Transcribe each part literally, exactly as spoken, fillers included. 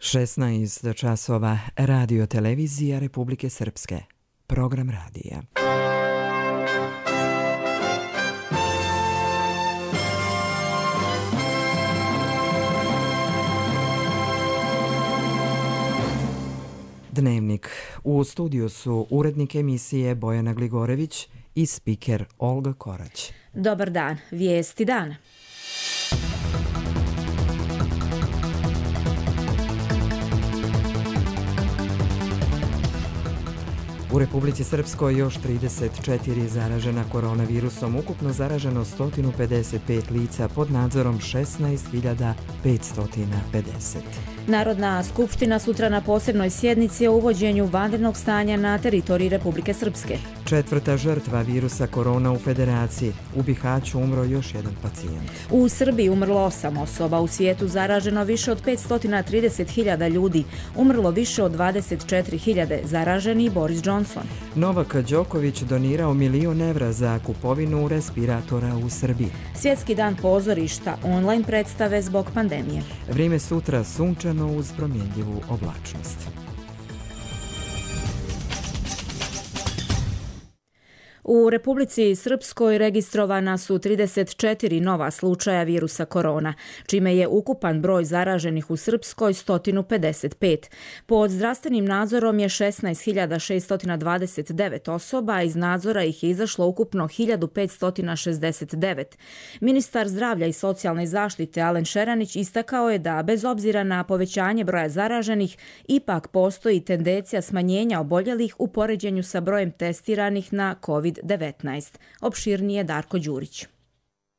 šesnaest časova, Radio Televizija Republike Srpske. Program radija. Dnevnik. U studiju su urednik emisije Bojana Gligorević i spiker Olga Korać. Dobar dan. Vijesti dana. U Republici Srpskoj još trideset četiri zaražena koronavirusom, ukupno zaraženo sto pedeset pet lica pod nadzorom šesnaest hiljada petsto pedeset. Narodna skupština sutra na posebnoj sjednici o uvođenju vanrednog stanja na teritoriji Republike Srpske. Četvrta žrtva virusa korona u Federaciji. U Bihaću umro još jedan pacijent. U Srbiji umrlo osam osoba, u svijetu zaraženo više od petsto trideset hiljada ljudi, umrlo više od dvadeset četiri hiljade, zaraženi Boris Johnson. Novak Đoković donirao milion evra za kupovinu respiratora u Srbiji. Svjetski dan pozorišta, online predstave zbog pandemije. Vrijeme sutra sunčano uz promjenljivu oblačnost. U Republici Srpskoj registrovana su trideset četiri nova slučaja virusa korona, čime je ukupan broj zaraženih u Srpskoj sto pedeset pet. Pod zdravstvenim nadzorom je šesnaest hiljada šesto dvadeset devet osoba, a iz nadzora ih je izašlo ukupno hiljadu petsto šezdeset devet. Ministar zdravlja i socijalne zaštite Alen Šeranić istakao je da, bez obzira na povećanje broja zaraženih, ipak postoji tendencija smanjenja oboljelih u poređenju sa brojem testiranih na kovid devetnaest. Opširnije Darko Đurić.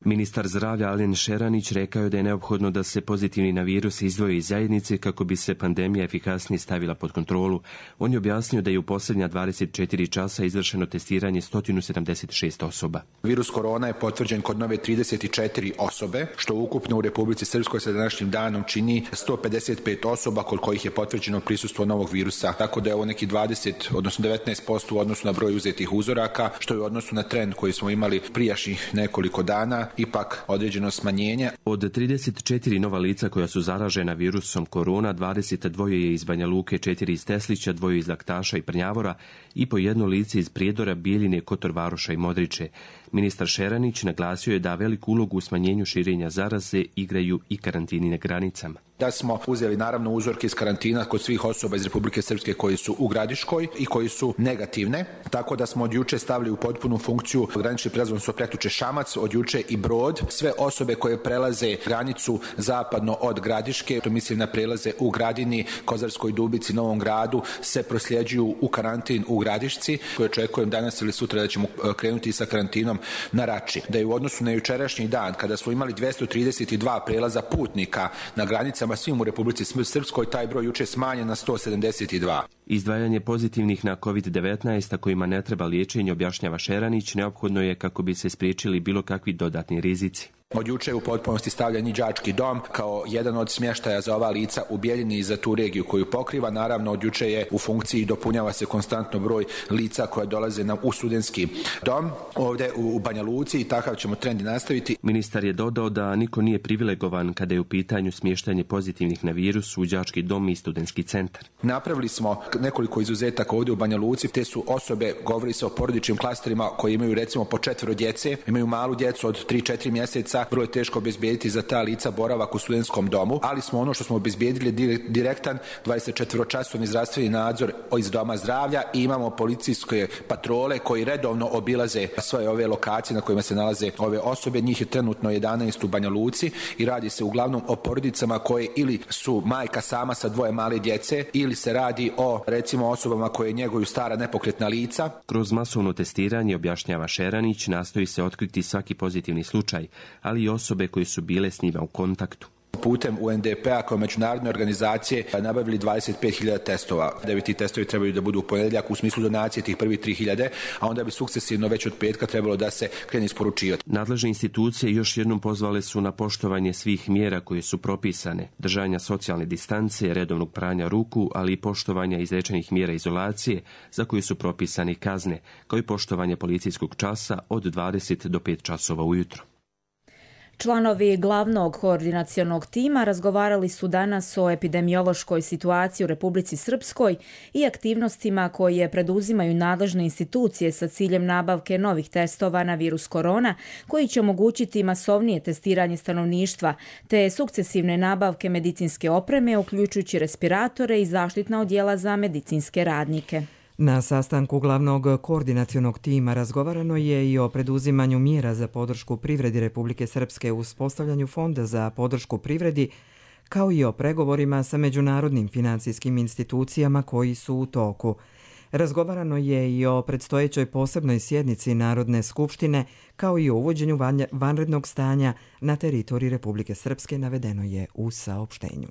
Ministar zdravlja Alen Šeranić rekao je da je neophodno da se pozitivni na virus izdvoje iz zajednice kako bi se pandemija efikasnije stavila pod kontrolu. On je objasnio da je u posljednja dvadeset četiri časa izvršeno testiranje sto sedamdeset šest osoba. Virus korona je potvrđen kod nove trideset četiri osobe, što ukupno u Republici Srpskoj sa današnjim danom čini sto pedeset pet osoba kod kojih je potvrđeno prisustvo novog virusa. Tako da je ovo neki dvadeset, odnosno devetnaest posto u odnosu na broj uzetih uzoraka, što je u odnosu na trend koji smo imali prijašnjih nekoliko dana ipak određeno smanjenje. Od trideset četiri nova lica koja su zaražena virusom korona, dvadeset dva je iz Banja Luke, četiri iz Teslića, dvoje iz Laktaša i Prnjavora i po jedno lice iz Prijedora, Bijeljine, Kotor Varoša i Modriče. Ministar Šeranić naglasio je da veliku ulogu u smanjenju širenja zaraze igraju i karantini na granicama. Da smo uzeli naravno uzorke iz karantina kod svih osoba iz Republike Srpske koji su u Gradiškoj i koji su negativne, tako da smo od juče stavili u potpunu funkciju granični prijelaz, odnosno prekjuče Šamac, od juče i Brod. Sve osobe koje prelaze granicu zapadno od Gradiške, to mislim na prelaze u Gradini, Kozarskoj Dubici, Novom Gradu, se prosljeđuju u karantin u Gradišci, koje očekujem danas ili sutra da ćemo krenuti sa karantinom na Rači. Da je u odnosu na jučerašnji dan, kada smo imali dvjesto trideset dva prelaza putnika na granicama svim u Republici Srpskoj, taj broj juče smanjen na sto sedamdeset dva. Izdvajanje pozitivnih na kovid devetnaest, a kojima ne treba liječenje, objašnjava Šeranić, neophodno je kako bi se spriječili bilo kakvi dodatni rizici. Od juče je u potpunosti stavljen i đački dom kao jedan od smještaja za ova lica u Bijeljini i za tu regiju koju pokriva. Naravno, od juče je u funkciji i dopunjava se konstantno broj lica koja dolaze na u studentski dom ovdje u Banja Luci i takav ćemo trend i nastaviti. Ministar je dodao da niko nije privilegovan kada je u pitanju smještanje pozitivnih na virus u đački dom i studentski centar. Napravili smo nekoliko izuzetaka ovdje u Banja Luci. Te su osobe, govori se o porodičnim klasterima koji imaju recimo po četvero djece, imaju malu djecu od tri četiri mjeseca. Vrlo je teško obezbijediti za ta lica boravak u studentskom domu, ali smo ono što smo obezbijedili direktan dvadesetčetvoročasovni zdravstveni nadzor iz doma zdravlja i imamo policijske patrole koji redovno obilaze svoje ove lokacije na kojima se nalaze ove osobe. Njih je trenutno jedanaest u Banja Luci i radi se uglavnom o porodicama koje ili su majka sama sa dvoje male djece ili se radi o recimo osobama koje njeguju stara nepokretna lica. Kroz masovno testiranje, objašnjava Šeranić, nastoji se otkriti svaki pozitivni slučaj, ali i osobe koje su bile s njima u kontaktu. Putem U N D P-a kao međunarodne organizacije nabavili dvadeset pet hiljada testova. Devet ti testovi trebaju da budu u ponedjeljak u smislu donacije tih prvih tri hiljade, a onda bi sukcesivno već od petka trebalo da se krene isporučivati. Nadležne institucije još jednom pozvale su na poštovanje svih mjera koje su propisane, držanja socijalne distance, redovnog pranja ruku, ali i poštovanja izrečenih mjera izolacije za koje su propisane kazne, kao i poštovanje policijskog časa od dvadeset do pet časova ujutro. Članovi glavnog koordinacionog tima razgovarali su danas o epidemiološkoj situaciji u Republici Srpskoj i aktivnostima koje preduzimaju nadležne institucije sa ciljem nabavke novih testova na virus korona, koji će omogućiti masovnije testiranje stanovništva, te sukcesivne nabavke medicinske opreme, uključujući respiratore i zaštitna odjela za medicinske radnike. Na sastanku glavnog koordinacionog tima razgovarano je i o preduzimanju mjera za podršku privredi Republike Srpske u uspostavljanju fonda za podršku privredi, kao i o pregovorima sa međunarodnim financijskim institucijama koji su u toku. Razgovarano je i o predstojećoj posebnoj sjednici Narodne skupštine, kao i o uvođenju vanrednog stanja na teritoriji Republike Srpske, navedeno je u saopštenju.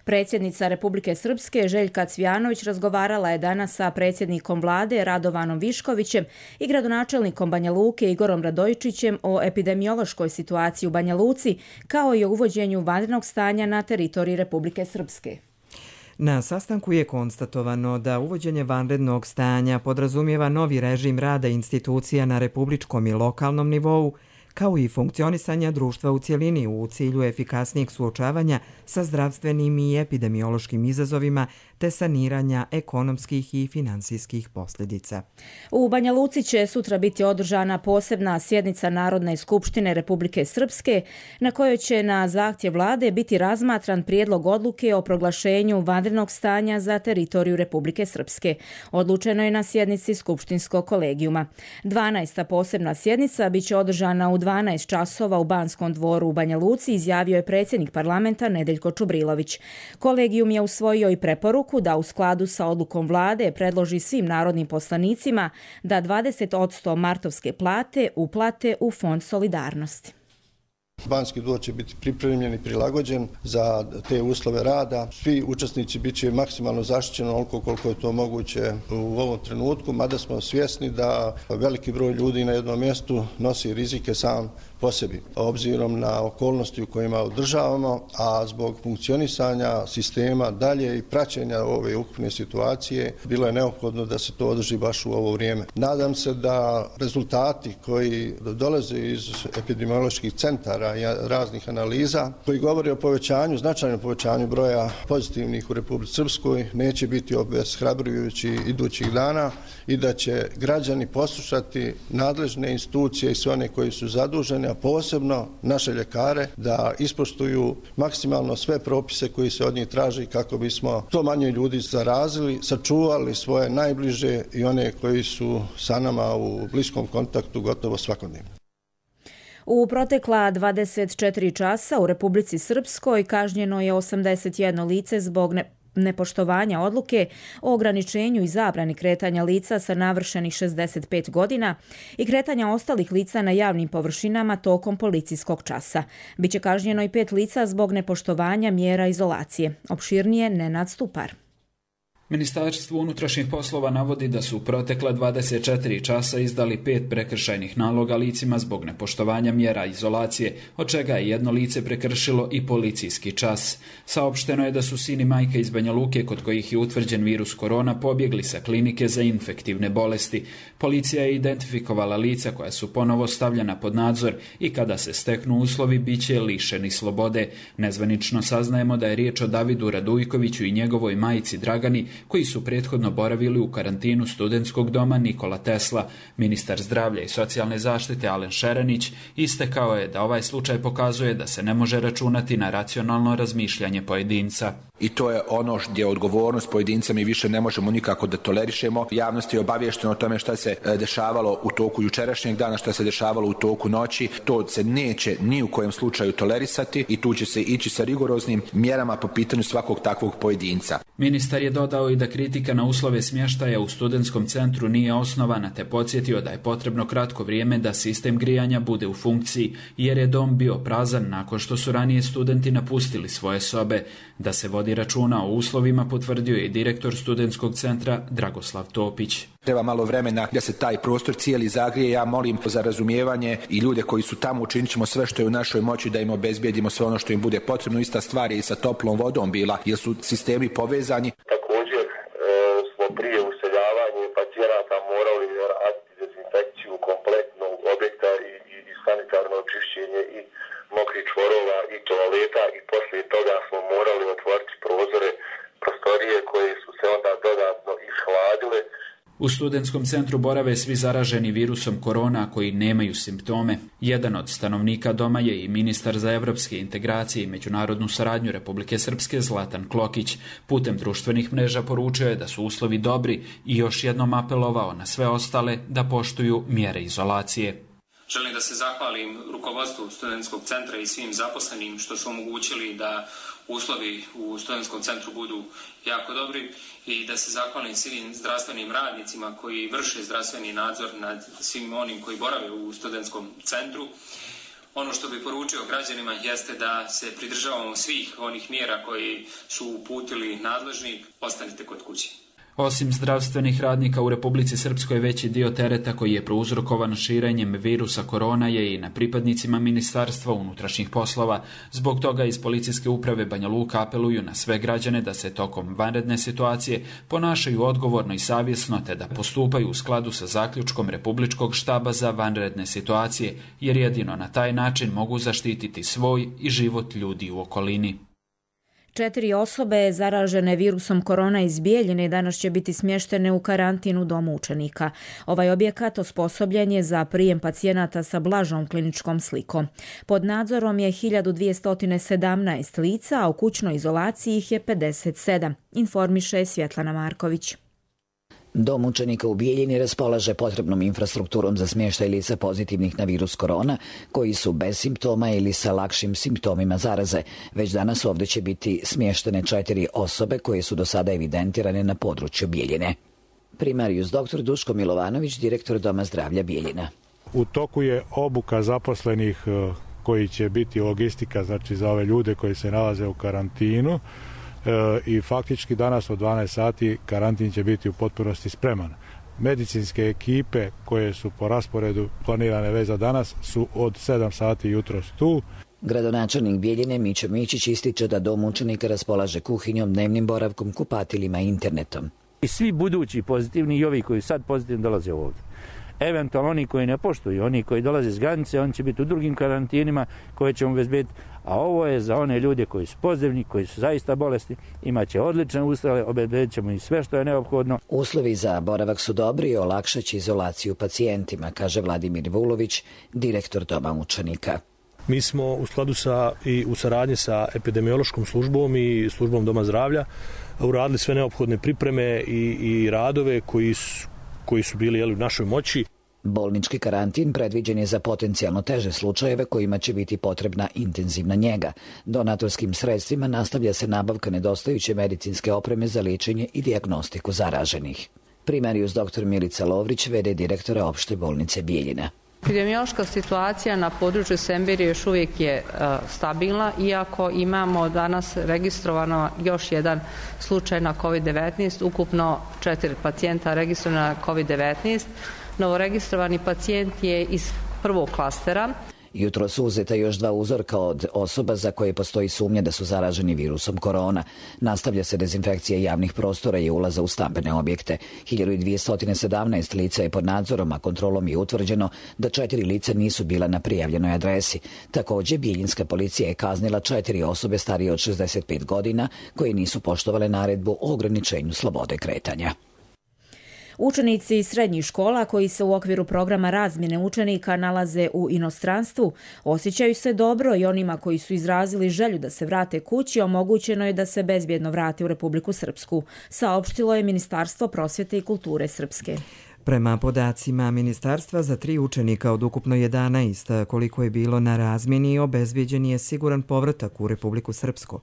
Predsjednica Republike Srpske Željka Cvijanović razgovarala je danas sa predsjednikom vlade Radovanom Viškovićem i gradonačelnikom Banja Luke Igorom Radojičićem o epidemiološkoj situaciji u Banja Luci, kao i o uvođenju vanrednog stanja na teritoriji Republike Srpske. Na sastanku je konstatovano da uvođenje vanrednog stanja podrazumijeva novi režim rada institucija na republičkom i lokalnom nivou, kao i funkcionisanja društva u cjelini u cilju efikasnijeg suočavanja sa zdravstvenim i epidemiološkim izazovima te saniranja ekonomskih i finansijskih posljedica. U Banja Luci će sutra biti održana posebna sjednica Narodne skupštine Republike Srpske, na kojoj će na zahtjev vlade biti razmatran prijedlog odluke o proglašenju vanrednog stanja za teritoriju Republike Srpske. Odlučeno je na sjednici skupštinskog kolegijuma. dvanaesta posebna sjednica biće održana u dvanaest časova u Banskom dvoru u Banja Luci, izjavio je predsjednik parlamenta Nedeljko Čubrilović. Kolegijum je usvojio i preporuku da u skladu sa odlukom vlade predloži svim narodnim poslanicima da dvadeset posto martovske plate uplate u Fond solidarnosti. Banski dvor će biti pripremljen i prilagođen za te uslove rada. Svi učesnici bit će maksimalno zaštićeni onoliko koliko je to moguće u ovom trenutku, mada smo svjesni da veliki broj ljudi na jednom mjestu nosi rizike sam po sebi, obzirom na okolnosti u kojima održavamo, a zbog funkcionisanja sistema dalje i praćenja ove ukupne situacije bilo je neophodno da se to održi baš u ovo vrijeme. Nadam se da rezultati koji dolaze iz epidemioloških centara i raznih analiza koji govore o povećanju, značajnom povećanju broja pozitivnih u Republici Srpskoj neće biti obeshrabrujući idućih dana i da će građani poslušati nadležne institucije i sve one koji su zaduženi, a posebno naše ljekare, da ispoštuju maksimalno sve propise koji se od njih traži kako bismo to manje ljudi zarazili, sačuvali svoje najbliže i one koji su sa nama u bliskom kontaktu gotovo svakodnevno. U protekla dvadeset četiri časa u Republici Srpskoj kažnjeno je osamdeset jedno lice zbog ne nepoštovanja odluke o ograničenju i zabrani kretanja lica sa navršenih šezdeset pet godina i kretanja ostalih lica na javnim površinama tokom policijskog časa. Biće kažnjeno i pet lica zbog nepoštovanja mjera izolacije. Opširnije Nenad Stupar. Ministarstvo unutrašnjih poslova navodi da su u protekla dvadeset četiri časa izdali pet prekršajnih naloga licima zbog nepoštovanja mjera izolacije, od čega je jedno lice prekršilo i policijski čas. Saopšteno je da su sin i majka iz Banja Luke, kod kojih je utvrđen virus korona, pobjegli sa klinike za infektivne bolesti. Policija je identifikovala lica koja su ponovo stavljena pod nadzor i kada se steknu uslovi biće lišeni slobode. Nezvanično saznajemo da je riječ o Davidu Radujkoviću i njegovoj majici Dragani, koji su prethodno boravili u karantinu studentskog doma Nikola Tesla. Ministar zdravlja i socijalne zaštite Alen Šerenić istakao je da ovaj slučaj pokazuje da se ne može računati na racionalno razmišljanje pojedinca. I to je ono gdje odgovornost pojedinca mi više ne možemo nikako da tolerišemo. Javnost je obaviještena o tome šta se dešavalo u toku jučerašnjeg dana, šta se dešavalo u toku noći. To se neće ni u kojem slučaju tolerisati i tu će se ići sa rigoroznim mjerama po pitanju svakog takvog pojedinca. Ministar je dodao i da kritika na uslove smještaja u studentskom centru nije osnovana, te podsjetio da je potrebno kratko vrijeme da sistem grijanja bude u funkciji, jer je dom bio prazan nakon što su ranije studenti napustili svoje sobe. Da se vodi računa o uslovima potvrdio je i direktor studentskog centra Dragoslav Topić. Treba malo vremena da se taj prostor cijeli zagrije. Ja molim za razumijevanje i ljude koji su tamo, učinit ćemo sve što je u našoj moći da im obezbijedimo sve ono što im bude potrebno. Ista stvar je i sa toplom vodom bila, jer su sistemi povezani. Također e, smo prije useljavanja pacijenata morali raditi dezinfekciju kompletnog objekta i, i, i sanitarno očišćenje i mokri poslije toga smo morali otvoriti prozore, prostorije koje su se onda dodatno ishladile. U studentskom centru borave svi zaraženi virusom korona koji nemaju simptome. Jedan od stanovnika doma je i ministar za evropske integracije i međunarodnu saradnju Republike Srpske Zlatan Klokić. Putem društvenih mreža poručio je da su uslovi dobri i još jednom apelovao na sve ostale da poštuju mjere izolacije. Želim da se zahvalim rukovodstvu studentskog centra i svim zaposlenim što su omogućili da uslovi u studentskom centru budu jako dobri i da se zahvalim svim zdravstvenim radnicima koji vrše zdravstveni nadzor nad svim onim koji borave u studentskom centru. Ono što bih poručio građanima jeste da se pridržavamo svih onih mjera koji su uputili nadležni, ostanite kod kuće. Osim zdravstvenih radnika u Republici Srpskoj, veći dio tereta koji je prouzrokovan širenjem virusa korona je i na pripadnicima Ministarstva unutrašnjih poslova. Zbog toga iz Policijske uprave Banja Luka apeluju na sve građane da se tokom vanredne situacije ponašaju odgovorno i savjesno te da postupaju u skladu sa zaključkom Republičkog štaba za vanredne situacije, jer jedino na taj način mogu zaštititi svoj i život ljudi u okolini. Četiri osobe zaražene virusom korona iz Bijeljine danas će biti smještene u karantin u domu učenika. Ovaj objekat osposobljen je za prijem pacijenata sa blažom kliničkom slikom. Pod nadzorom je hiljadu dvjesto sedamnaest lica, a u kućnoj izolaciji ih je pedeset sedam, informiše Svjetlana Marković. Dom učenika u Bijeljini raspolaže potrebnom infrastrukturom za smještaj lica pozitivnih na virus korona, koji su bez simptoma ili sa lakšim simptomima zaraze. Već danas ovdje će biti smještene četiri osobe koje su do sada evidentirane na području Bijeljine. Primarius doktor Duško Milovanović, direktor Doma zdravlja Bijeljina. U toku je obuka zaposlenih koji će biti logistika, znači za ove ljude koji se nalaze u karantinu. I faktički danas od dvanaest sati karantin će biti u potpunosti spreman. Medicinske ekipe koje su po rasporedu planirane već za danas su od sedam sati jutros tu. Gradonačelnik Bijeljine Mićo Mićić ističe da dom učenika raspolaže kuhinjom, dnevnim boravkom, kupatilima i internetom. I svi budući pozitivni i ovi koji sad pozitivni dolaze ovdje. Eventualno oni koji ne poštuju, oni koji dolaze s granice, oni će biti u drugim karantinima koje ćemo obezbediti, a ovo je za one ljude koji su pozitivni, koji su zaista bolesti, imat će odlične uslove, obezbedit ćemo i sve što je neophodno. Uslovi za boravak su dobri i olakšat će izolaciju pacijentima, kaže Vladimir Vulović, direktor Doma učenika. Mi smo u skladu sa i u saradnji sa epidemiološkom službom i službom Doma zdravlja uradili sve neophodne pripreme i, i radove koji su koji su bili jeli, u našoj moći. Bolnički karantin predviđen je za potencijalno teže slučajeve kojima će biti potrebna intenzivna njega. Donatorskim sredstvima nastavlja se nabavka nedostajuće medicinske opreme za liječenje i dijagnostiku zaraženih. Primarius doktor Milica Lovrić, v d direktora opšte bolnice Bijeljina. Epidemiološka situacija na području Semberije još uvijek je uh, stabilna, iako imamo danas registrovano još jedan slučaj na kovid devetnaest, ukupno četiri pacijenta registrovano na kovid devetnaest. Novoregistrovani pacijent je iz prvog klastera. Jutro su uzeta još dva uzorka od osoba za koje postoji sumnja da su zaraženi virusom korona. Nastavlja se dezinfekcija javnih prostora i ulaza u stambene objekte. hiljadu dvjesto sedamnaest lica je pod nadzorom, a kontrolom je utvrđeno da četiri lica nisu bila na prijavljenoj adresi. Također, bijeljinska policija je kaznila četiri osobe starije od šezdeset pet godina koje nisu poštovale naredbu o ograničenju slobode kretanja. Učenici srednjih škola koji se u okviru programa razmjene učenika nalaze u inostranstvu osjećaju se dobro i onima koji su izrazili želju da se vrate kući omogućeno je da se bezbjedno vrate u Republiku Srpsku, saopštilo je Ministarstvo prosvjete i kulture Srpske. Prema podacima ministarstva, za tri učenika od ukupno jedanaest koliko je bilo na razmjeni, obezbijeđen je siguran povratak u Republiku Srpsku.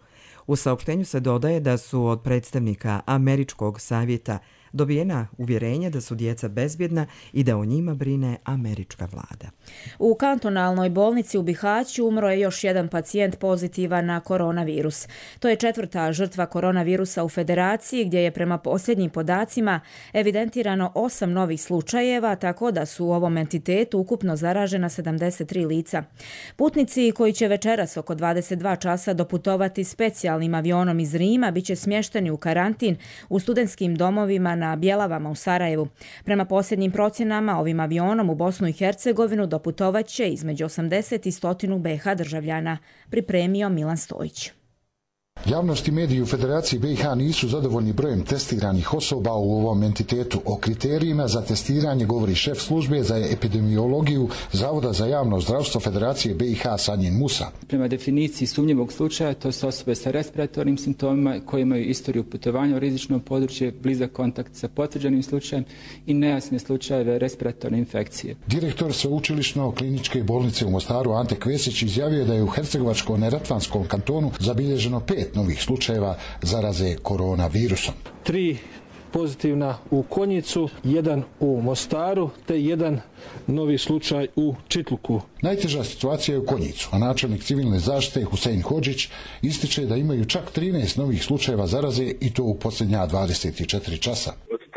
U saopštenju se dodaje da su od predstavnika Američkog savjeta dobijena uvjerenja da su djeca bezbjedna i da o njima brine američka vlada. U kantonalnoj bolnici u Bihaću umro je još jedan pacijent pozitivan na koronavirus. To je četvrta žrtva koronavirusa u Federaciji, gdje je prema posljednjim podacima evidentirano osam novih slučajeva, tako da su u ovom entitetu ukupno zaražena sedamdeset tri lica. Putnici koji će večeras oko dvadeset dva časa doputovati specijalnim avionom iz Rima biće smješteni u karantin u studentskim domovima na Bjelavama u Sarajevu. Prema posljednjim procjenama, ovim avionom u Bosnu i Hercegovinu doputovat će između osamdeset i sto be ha državljana, pripremio Milan Stojić. Javnost i mediji u Federaciji B i H nisu zadovoljni brojem testiranih osoba u ovom entitetu. O kriterijima za testiranje govori šef službe za epidemiologiju Zavoda za javno zdravstvo Federacije B i H Sanjin Musa. Prema definiciji sumnjivog slučaja, to su osobe sa respiratornim simptomima koje imaju istoriju putovanja u rizično područje, blizak kontakt sa potvrđenim slučajem i nejasne slučajeve respiratorne infekcije. Direktor Sveučilišno kliničke bolnice u Mostaru Ante Kvesić izjavio je da je u Hercegovačko-neretvanskom kantonu zabilježeno pet novih slučajeva zaraze koronavirusom. Tri pozitivna u Konjicu, jedan u Mostaru te jedan novi slučaj u Čitluku. Najteža situacija je u Konjicu, a načelnik civilne zaštite Husein Hodžić ističe da imaju čak trinaest novih slučajeva zaraze i to u posljednja dvadeset četiri časa.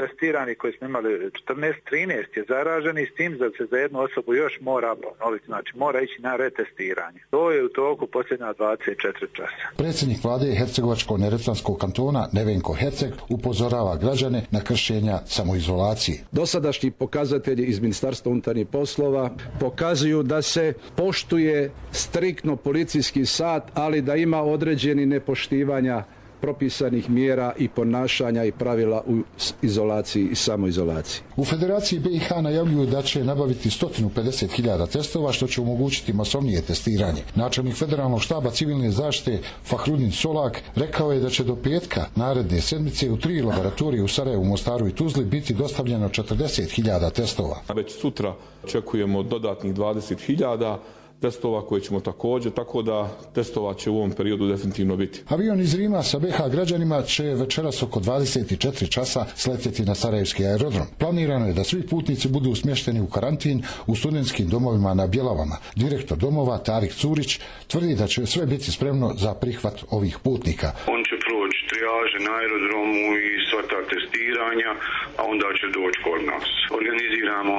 Testirani koji smo imali četrnaest trinaest je zaraženi, s tim da se za jednu osobu još mora ponoviti, znači mora ići na retestiranje. To je u toku posljednja dvadeset četiri časa. Predsjednik vlade Hercegovačko-neretvanskog kantona Nevenko Herceg upozorava građane na kršenja samoizolacije. Dosadašnji pokazatelji iz Ministarstva unutarnjih poslova pokazuju da se poštuje striktno policijski sat, ali da ima određeni nepoštivanja propisanih mjera i ponašanja i pravila u izolaciji i samoizolaciji. U Federaciji B i H najavljuju da će nabaviti sto pedeset hiljada testova, što će omogućiti masovnije testiranje. Načelnik Federalnog štaba civilne zaštite Fahrudin Solak rekao je da će do petka naredne sedmice u tri laboratorije u Sarajevu, Mostaru i Tuzli biti dostavljeno četrdeset hiljada testova. Već sutra očekujemo dodatnih dvadeset hiljada testova koje ćemo također, tako da testova će u ovom periodu definitivno biti. Avion iz Rima sa B H građanima će večeras oko dvadeset četiri časa sletjeti na Sarajevski aerodrom. Planirano je da svi putnici budu smješteni u karantin u studentskim domovima na Bjelavama. Direktor domova Tarik Curić tvrdi da će sve biti spremno za prihvat ovih putnika. On će proći trijaže na aerodromu i sva ta testiranja, a onda će doći kod nas. Organiziramo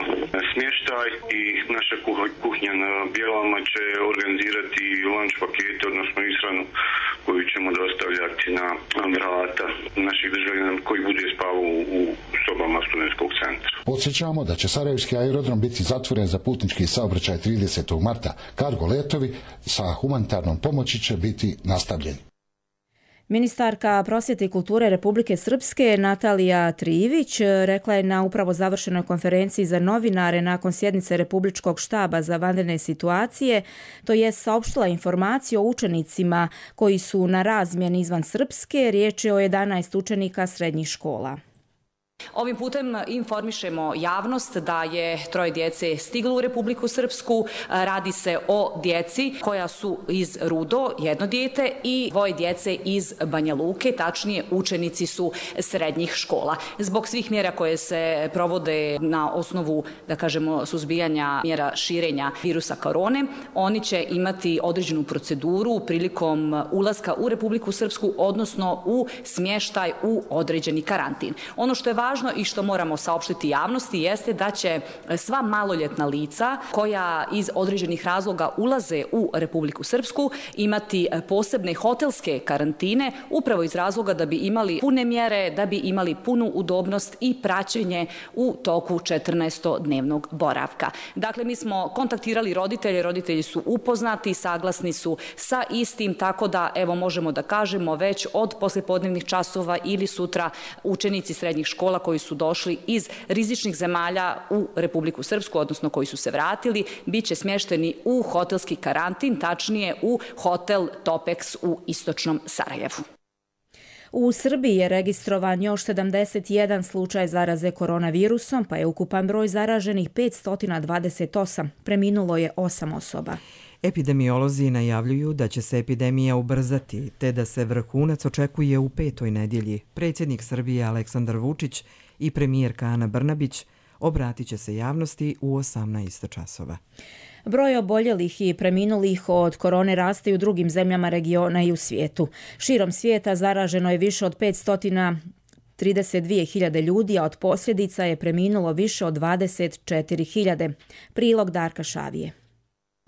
smještaj i naša kuhinja na Bjelavama će organizirati lunch pakete, odnosno ishranu koju ćemo dostavljati na vrata naših državljana koji bude spavao u sobama studentskog centra. Podsjećamo da će Sarajevski aerodrom biti zatvoren za putnički saobraćaj tridesetog marta. Kargo letovi sa humanitarnom pomoći će biti nastavljeni. Ministarka prosvjete i kulture Republike Srpske Natalija Trijević rekla je na upravo završenoj konferenciji za novinare nakon sjednice Republičkog štaba za vanredne situacije, to je saopštila informaciju o učenicima koji su na razmjeni izvan Srpske, riječ je o jedanaest učenika srednjih škola. Ovim putem informišemo javnost da je troje djece stiglo u Republiku Srpsku. Radi se o djeci koja su iz Rudo, jedno dijete, i dvoje djece iz Banja Luke, tačnije učenici su srednjih škola. Zbog svih mjera koje se provode na osnovu, da kažemo, suzbijanja mjera širenja virusa korone, oni će imati određenu proceduru prilikom ulaska u Republiku Srpsku, odnosno u smještaj u određeni karantin. Ono što je važno i što moramo saopštiti javnosti jeste da će sva maloljetna lica koja iz određenih razloga ulaze u Republiku Srpsku imati posebne hotelske karantine upravo iz razloga da bi imali pune mjere, da bi imali punu udobnost i praćenje u toku četrnaestodnevnog boravka. Dakle, mi smo kontaktirali roditelje, roditelji su upoznati, saglasni su sa istim, tako da evo možemo da kažemo već od poslijepodnevnih časova ili sutra učenici srednjih škola koji su došli iz rizičnih zemalja u Republiku Srpsku, odnosno koji su se vratili, bit će smješteni u hotelski karantin, tačnije u hotel Topex u istočnom Sarajevu. U Srbiji je registrovan još sedamdeset jedan slučaj zaraze koronavirusom, pa je ukupan broj zaraženih petsto dvadeset osam. Preminulo je osam osoba. Epidemiolozi najavljuju da će se epidemija ubrzati, te da se vrhunac očekuje u petoj nedjelji. Predsjednik Srbije Aleksandar Vučić i premijerka Ana Brnabić obratit će se javnosti u osamnaest časova. Broj oboljelih i preminulih od korone raste i u drugim zemljama regiona i u svijetu. Širom svijeta zaraženo je više od petsto trideset dvije hiljade ljudi, a od posljedica je preminulo više od dvadeset četiri hiljade. Prilog Darka Šavije.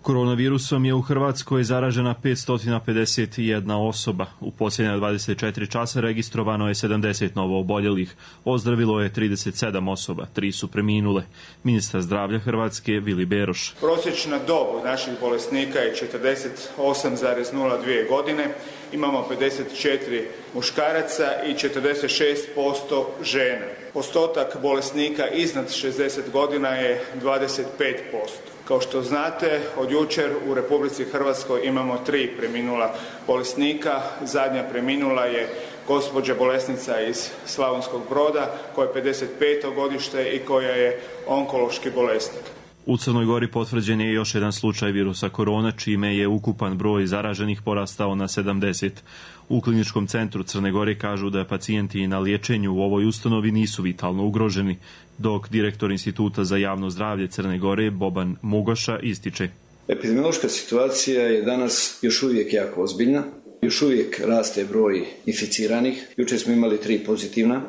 Koronavirusom je u Hrvatskoj zaražena petsto pedeset jedna osoba. U posljednja dvadeset četiri časa registrovano je sedamdeset novo oboljelih. Ozdravilo je trideset sedam osoba, tri su preminule. Ministar zdravlja Hrvatske Vili Beroš. Prosječna dob naših bolesnika je četrdeset osam zarez nula dvije godine. Imamo pedeset četiri muškaraca i četrdeset šest posto žena. Postotak bolesnika iznad šezdeset godina je dvadeset pet posto. Kao što znate, od jučer u Republici Hrvatskoj imamo tri preminula bolesnika. Zadnja preminula je gospođa bolesnica iz Slavonskog Broda koja je pedeset peto godište i koja je onkološki bolesnik. U Crnoj Gori potvrđen je još jedan slučaj virusa korona, čime je ukupan broj zaraženih porastao na sedamdeset. U kliničkom centru Crne Gore kažu da pacijenti na liječenju u ovoj ustanovi nisu vitalno ugroženi, dok direktor Instituta za javno zdravlje Crne Gore Boban Mugoša ističe. Epidemiološka situacija je danas još uvijek jako ozbiljna. Još uvijek raste broj inficiranih. Jučer smo imali tri pozitivna.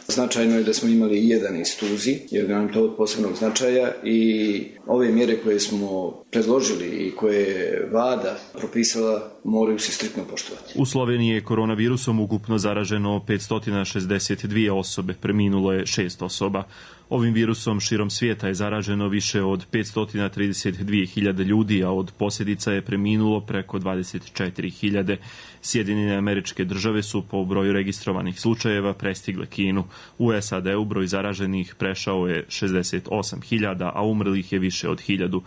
Značajno je da smo imali jedan iz Tuzi, jer nam to od posebnog značaja i ove mjere koje smo predložili i koje je vlada propisala moraju se striktno poštovati. U Sloveniji je koronavirusom ukupno zaraženo petsto šezdeset dvije osobe, preminulo je šest osoba. Ovim virusom širom svijeta je zaraženo više od petsto trideset dvije hiljade ljudi, a od posljedica je preminulo preko dvadeset četiri hiljade. Sjedinjene Američke Države su po broju registrovanih slučajeva prestigle Kinu. U S A D-u broj zaraženih prešao je šezdeset osam hiljada, a umrlih je više od hiljadu.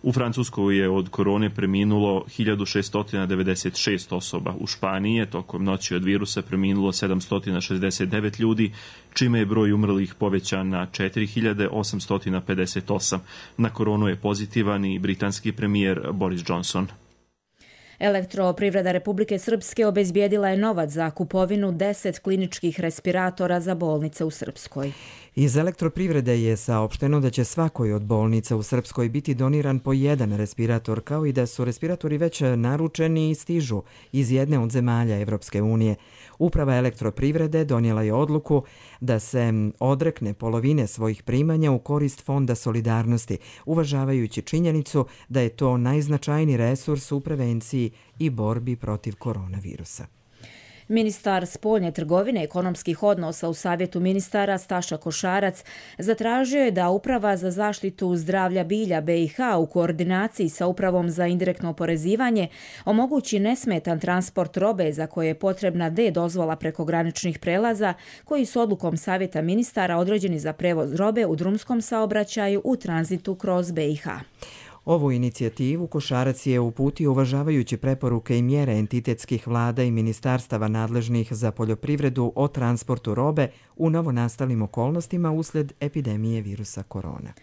U Francuskoj je od korone preminulo hiljadu šeststo devedeset šest osoba. U Španiji je tokom noći od virusa preminulo sedamsto šezdeset devet ljudi, čime je broj umrlih povećan na četiri hiljade osamsto pedeset osam. Na koronu je pozitivan i britanski premijer Boris Johnson. Elektroprivreda Republike Srpske obezbijedila je novac za kupovinu deset kliničkih respiratora za bolnice u Srpskoj. Iz elektroprivrede je saopšteno da će svakoj od bolnica u Srpskoj biti doniran po jedan respirator, kao i da su respiratori već naručeni i stižu iz jedne od zemalja Evropske unije. Uprava elektroprivrede donijela je odluku da se odrekne polovine svojih primanja u korist Fonda solidarnosti, uvažavajući činjenicu da je to najznačajniji resurs u prevenciji i borbi protiv koronavirusa. Ministar spoljne trgovine i ekonomskih odnosa u Savjetu ministara Staša Košarac zatražio je da Uprava za zaštitu zdravlja bilja B i H u koordinaciji sa Upravom za indirektno oporezivanje omogući nesmetan transport robe za koje je potrebna D dozvola preko graničnih prelaza koji su odlukom Savjeta ministara određeni za prevoz robe u drumskom saobraćaju u tranzitu kroz B i H. Ovu inicijativu Košarac je uputio uvažavajući preporuke i mjere entitetskih vlada i ministarstava nadležnih za poljoprivredu o transportu robe u novonastalim okolnostima uslijed epidemije virusa korona.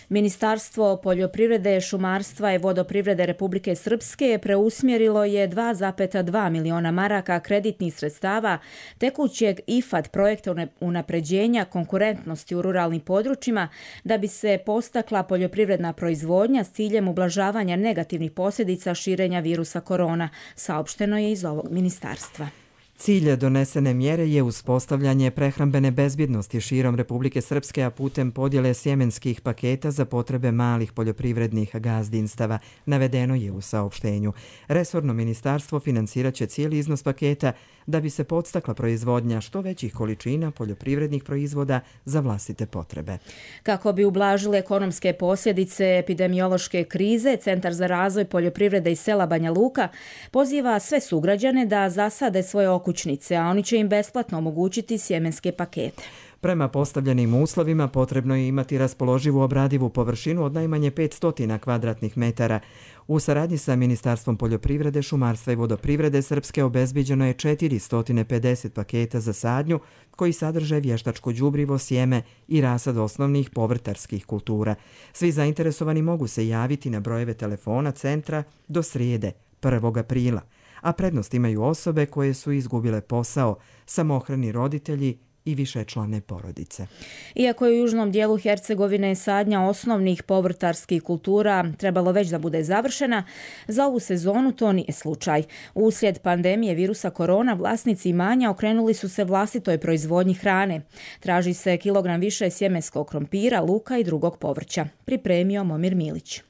Ministarstvo poljoprivrede, šumarstva i vodoprivrede Republike Srpske preusmjerilo je dva zarez dva miliona maraka kreditnih sredstava tekućeg I F A D projekta unapređenja konkurentnosti u ruralnim područjima da bi se postakla poljoprivredna proizvodnja s ciljem ublažavanja negativnih posljedica širenja virusa korona, saopšteno je iz ovog ministarstva. Cilj donesene mjere je uspostavljanje prehrambene bezbjednosti širom Republike Srpske, a putem podjele sjemenskih paketa za potrebe malih poljoprivrednih gazdinstava, navedeno je u saopštenju. Resorno ministarstvo financirat će cijeli iznos paketa da bi se podstakla proizvodnja što većih količina poljoprivrednih proizvoda za vlastite potrebe. Kako bi ublažile ekonomske posljedice epidemiološke krize, Centar za razvoj poljoprivrede i sela Banja Luka poziva sve sugrađane da zasade svoje okućnice, a oni će im besplatno omogućiti sjemenske pakete. Prema postavljenim uslovima potrebno je imati raspoloživu obradivu površinu od najmanje petsto kvadratnih metara. U saradnji sa Ministarstvom poljoprivrede, šumarstva i vodoprivrede Srpske obezbiđeno je četiristo pedeset paketa za sadnju koji sadrže vještačko đubrivo, sjeme i rasad osnovnih povrtarskih kultura. Svi zainteresovani mogu se javiti na brojeve telefona centra do srijede, prvog aprila, a prednost imaju osobe koje su izgubile posao, samohrani roditelji i višečlane porodice. Iako je u južnom dijelu Hercegovine sadnja osnovnih povrtarskih kultura trebalo već da bude završena, za ovu sezonu to nije slučaj. Uslijed pandemije virusa korona vlasnici imanja okrenuli su se vlastitoj proizvodnji hrane. Traži se kilogram više sjemenskog krompira, luka i drugog povrća. Pripremio Momir Milić.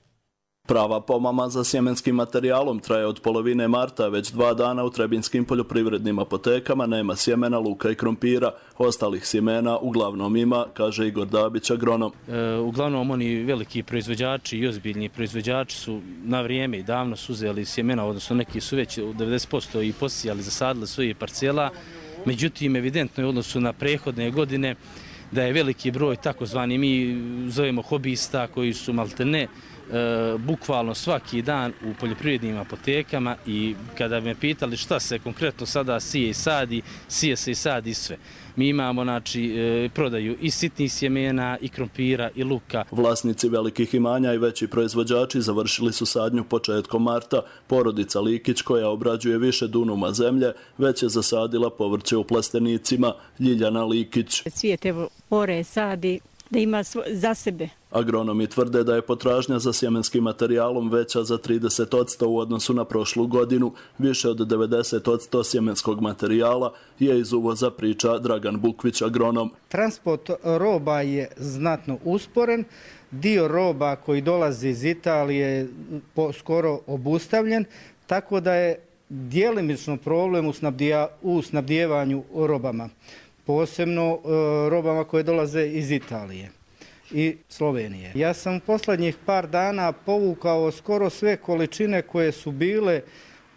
Prava pomama za sjemenskim materijalom traje od polovine marta, već dva dana u trebinskim poljoprivrednim apotekama nema sjemena, luka i krompira. Ostalih sjemena uglavnom ima, kaže Igor Dabić, agronom. E, uglavnom oni veliki proizvođači i ozbiljni proizvođači su na vrijeme i davno su uzeli sjemena, odnosno neki su već u devedeset posto i posijali, zasadili svoje parcela. Međutim, evidentno je u odnosu na prethodne godine da je veliki broj takozvani mi zovemo hobista koji su maltene E, bukvalno svaki dan u poljoprivrednim apotekama i kada me pitali šta se konkretno sada sije i sadi, sije se i sadi sve. Mi imamo znači, e, prodaju i sitnih sjemena, i krompira, i luka. Vlasnici velikih imanja i veći proizvođači završili su sadnju početkom marta. Porodica Likić, koja obrađuje više dunuma zemlje, već je zasadila povrće u plastenicima. Ljiljana Likić. Svijet evo ore sadi da ima za sebe. Agronomi tvrde da je potražnja za sjemenskim materijalom veća za trideset posto u odnosu na prošlu godinu. Više od devedeset posto sjemenskog materijala je iz uvoza, priča Dragan Bukvić, agronom. Transport roba je znatno usporen. Dio roba koji dolazi iz Italije je skoro obustavljen, tako da je djelimično problem u snabdijevanju robama. Posebno robama koje dolaze iz Italije i Slovenije. Ja sam posljednjih par dana povukao skoro sve količine koje su bile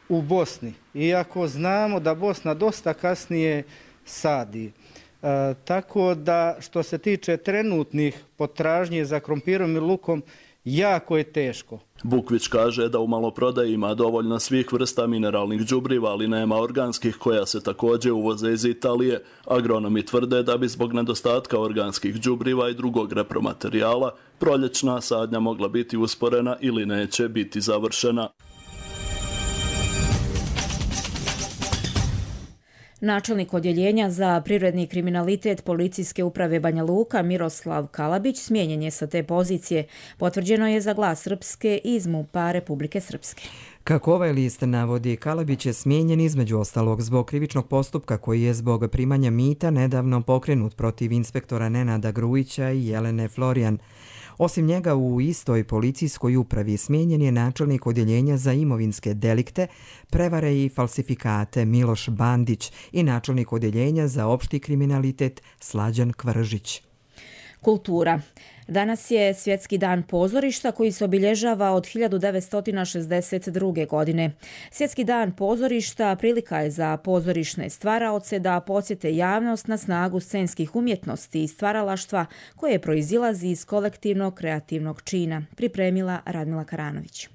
u Bosni, iako znamo da Bosna dosta kasnije sadi. E, tako da što se tiče trenutnih potražnje za krompirom i lukom, jako je teško. Bukvić kaže da u maloprodaji ima dovoljno svih vrsta mineralnih đubriva, ali nema organskih koja se također uvoze iz Italije. Agronomi tvrde da bi zbog nedostatka organskih đubriva i drugog repromaterijala proljećna sadnja mogla biti usporena ili neće biti završena. Načelnik odjeljenja za privredni kriminalitet Policijske uprave Banja Luka Miroslav Kalabić smijenjen je sa te pozicije. Potvrđeno je za Glas Srpske iz MUP-a Republike Srpske. Kako ovaj list navodi, Kalabić je smijenjen između ostalog zbog krivičnog postupka koji je zbog primanja mita nedavno pokrenut protiv inspektora Nenada Grujića i Jelene Florijan. Osim njega u istoj policijskoj upravi smijenjen je načelnik odjeljenja za imovinske delikte, prevare i falsifikate Miloš Bandić i načelnik odjeljenja za opšti kriminalitet Slađan Kvržić. Kultura. Danas je Svjetski dan pozorišta koji se obilježava od hiljadu devetsto šezdeset druge. godine. Svjetski dan pozorišta prilika je za pozorišne stvaraoce da podsjete javnost na snagu scenskih umjetnosti i stvaralaštva koje proizilazi iz kolektivnog kreativnog čina, pripremila Radmila Karanović.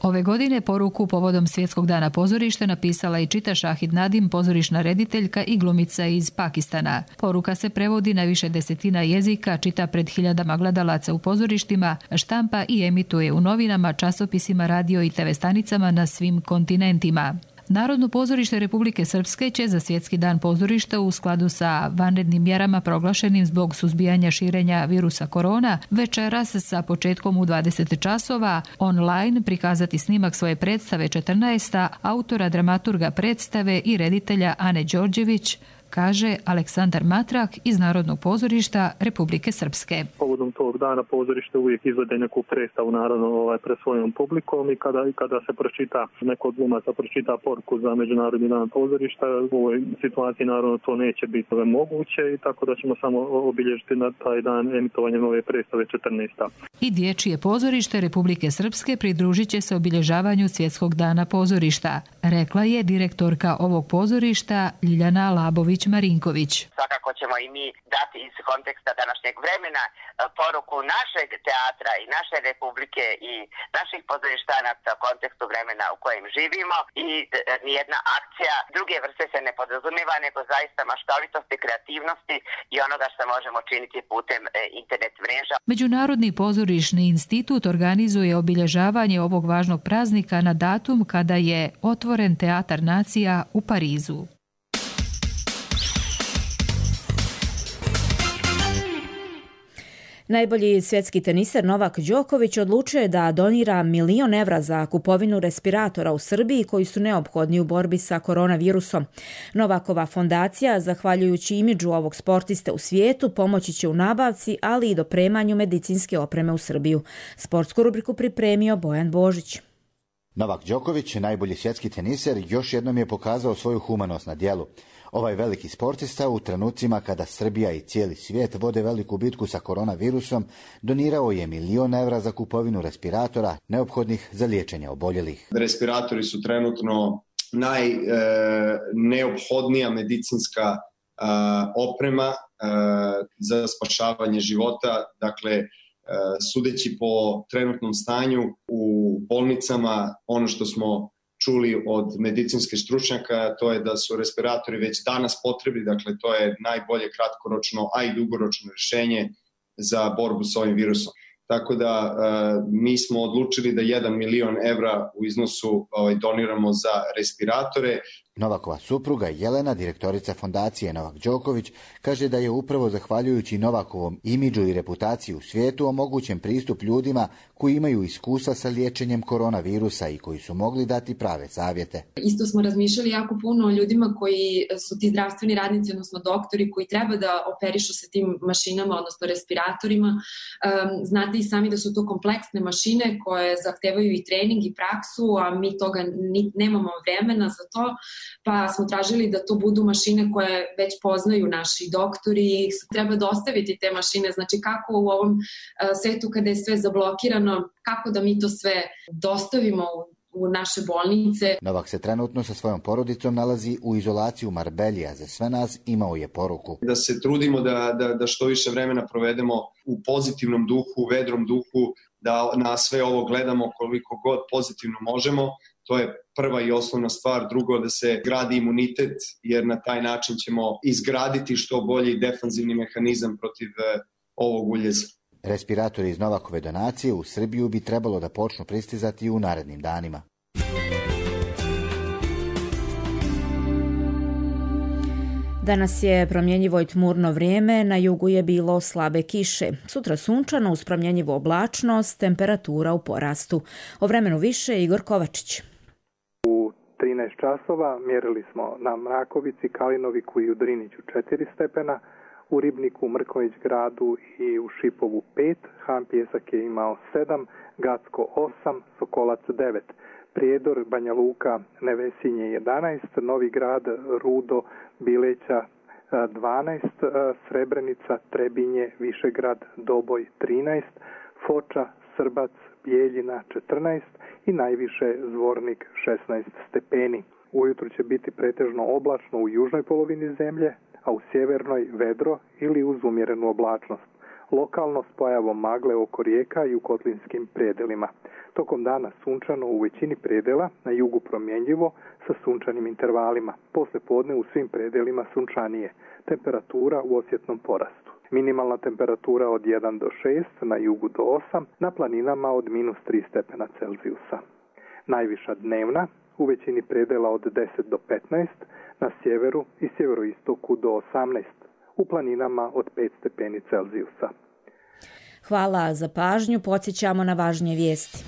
Ove godine poruku povodom Svjetskog dana pozorišta napisala i čita Šahid Nadim, pozorišna rediteljka i glumica iz Pakistana. Poruka se prevodi na više desetina jezika, čita pred hiljadama gledalaca u pozorištima, štampa i emituje u novinama, časopisima, radio i te ve stanicama na svim kontinentima. Narodno pozorište Republike Srpske će za Svjetski dan pozorišta u skladu sa vanrednim mjerama proglašenim zbog suzbijanja širenja virusa korona večeras sa početkom u dvadeset časova online prikazati snimak svoje predstave četrnaesta autora dramaturga predstave i reditelja Ane Đorđević, kaže Aleksandar Matrak iz Narodnog pozorišta Republike Srpske. Povodom tog dana pozorište uvijek izvede neku predstavu naravno ovaj, pred svojom publikom i kada, kada se pročita, neko od glumaca pročita poruku za Međunarodni dan pozorišta, u ovoj situaciji naravno to neće biti moguće i tako da ćemo samo obilježiti na taj dan emitovanje nove predstave četrnaesta. I Dječje pozorište Republike Srpske pridružit će se obilježavanju Svjetskog dana pozorišta, rekla je direktorka ovog pozorišta Ljiljana Labović Marinković. Svakako ćemo i mi dati iz konteksta današnjeg vremena poruku našeg teatra i naše republike i naših pozorištanaca u kontekstu vremena u kojem živimo i nijedna akcija druge vrste se ne podrazumijeva nego zaista maštovitosti, kreativnosti i onoga što možemo činiti putem internet mreža. Međunarodni pozorišni institut organizuje obilježavanje ovog važnog praznika na datum kada je otvoren Teatar nacija u Parizu. Najbolji svjetski teniser Novak Đoković odlučio je da donira milion evra za kupovinu respiratora u Srbiji koji su neophodni u borbi sa koronavirusom. Novakova fondacija, zahvaljujući imidžu ovog sportiste u svijetu, pomoći će u nabavci, ali i dopremanju medicinske opreme u Srbiju. Sportsku rubriku pripremio Bojan Božić. Novak Đoković, najbolji svjetski teniser, još jednom je pokazao svoju humanost na djelu. Ovaj veliki sportista u trenucima kada Srbija i cijeli svijet vode veliku bitku sa koronavirusom, donirao je milion evra za kupovinu respiratora neophodnih za liječenje oboljelih. Respiratori su trenutno najneophodnija medicinska a, oprema a, za spašavanje života. Dakle, sudeći po trenutnom stanju u bolnicama, ono što smo čuli od medicinskih stručnjaka, to je da su respiratori već danas potrebni, dakle to je najbolje kratkoročno, a i dugoročno rješenje za borbu s ovim virusom. Tako da mi smo odlučili da jedan milion evra u iznosu doniramo za respiratore. Novakova supruga Jelena, direktorica fondacije Novak Đoković, kaže da je upravo zahvaljujući Novakovom imidžu i reputaciji u svijetu omogućen pristup ljudima koji imaju iskustva sa liječenjem koronavirusa i koji su mogli dati prave savjete. Isto smo razmišljali jako puno o ljudima koji su ti zdravstveni radnici, odnosno doktori koji treba da operišu sa tim mašinama, odnosno respiratorima. Um, znate i sami da su to kompleksne mašine koje zahtevaju i trening i praksu, a mi toga ni, nemamo vremena za to. Pa smo tražili da to budu mašine koje već poznaju naši doktori. Treba dostaviti te mašine, znači kako u ovom svetu kada je sve zablokirano, kako da mi to sve dostavimo u, u naše bolnice. Novak se trenutno sa svojom porodicom nalazi u izolaciji u Marbelji, a za sve nas imao je poruku. Da se trudimo da, da, da što više vremena provedemo u pozitivnom duhu, u vedrom duhu, da na sve ovo gledamo koliko god pozitivno možemo. To je prva i osnovna stvar. Drugo, da se gradi imunitet, jer na taj način ćemo izgraditi što bolji defanzivni mehanizam protiv ovog uljeza. Respiratori iz Novakove donacije u Srbiju bi trebalo da počnu pristizati u narednim danima. Danas je promjenjivo i tmurno vrijeme, na jugu je bilo slabe kiše. Sutra sunčano uz promjenjivu oblačnost, temperatura u porastu. O vremenu više Igor Kovačić. U trinaest časova mjerili smo na Mrakovici, Kalinoviku i u Driniću četiri stepena, u Ribniku, Mrkonjić gradu i u Šipovu pet, Han Pjesak je imao sedam, Gacko osam, Sokolac devet. Prijedor, Banja Luka, Nevesinje jedanaest, Novi Grad, Rudo, Bileća dvanaest, Srebrenica, Trebinje, Višegrad, Doboj trinaest, Foča, Srbac, Bijeljina četrnaest i najviše Zvornik šesnaest stepeni. Ujutro će biti pretežno oblačno u južnoj polovini zemlje, a u sjevernoj vedro ili uz umjerenu oblačnost. Lokalno s pojavom magle oko rijeka i u kotlinskim predelima. Tokom dana sunčano u većini predela, na jugu promjenjivo sa sunčanim intervalima. Posle podne u svim predelima sunčanije. Temperatura u osjetnom porastu. Minimalna temperatura od jedan do šest, na jugu do osam, na planinama od minus tri stepena Celzijusa. Najviša dnevna u većini predela od deset do petnaest, na sjeveru i sjeveroistoku do osamnaest, u planinama od pet stepeni Celzijusa. Hvala za pažnju, podsjećamo na važnije vijesti.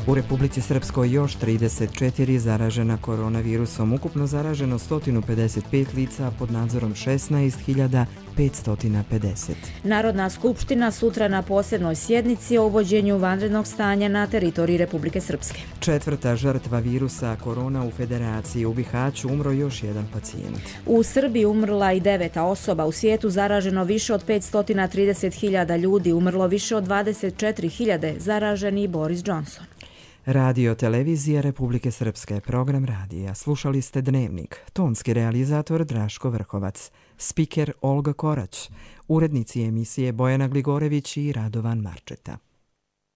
U Republici Srpskoj još trideset četiri zaražena koronavirusom, ukupno zaraženo sto pedeset pet lica, pod nadzorom šesnaest hiljada petsto pedeset. Narodna skupština sutra na posebnoj sjednici o uvođenju vanrednog stanja na teritoriji Republike Srpske. Četvrta žrtva virusa korona u Federaciji. U Bihaću umro još jedan pacijent. U Srbiji umrla i deveta osoba. U svijetu zaraženo više od petsto trideset hiljada ljudi, umrlo više od dvadeset četiri hiljade, zaraženi Boris Johnson. Radio Televizija Republike Srpske, program radija. Slušali ste Dnevnik. Tonski realizator Draško Vrhovac. Spiker Olga Korać. Urednici emisije Bojana Gligorević i Radovan Marčeta.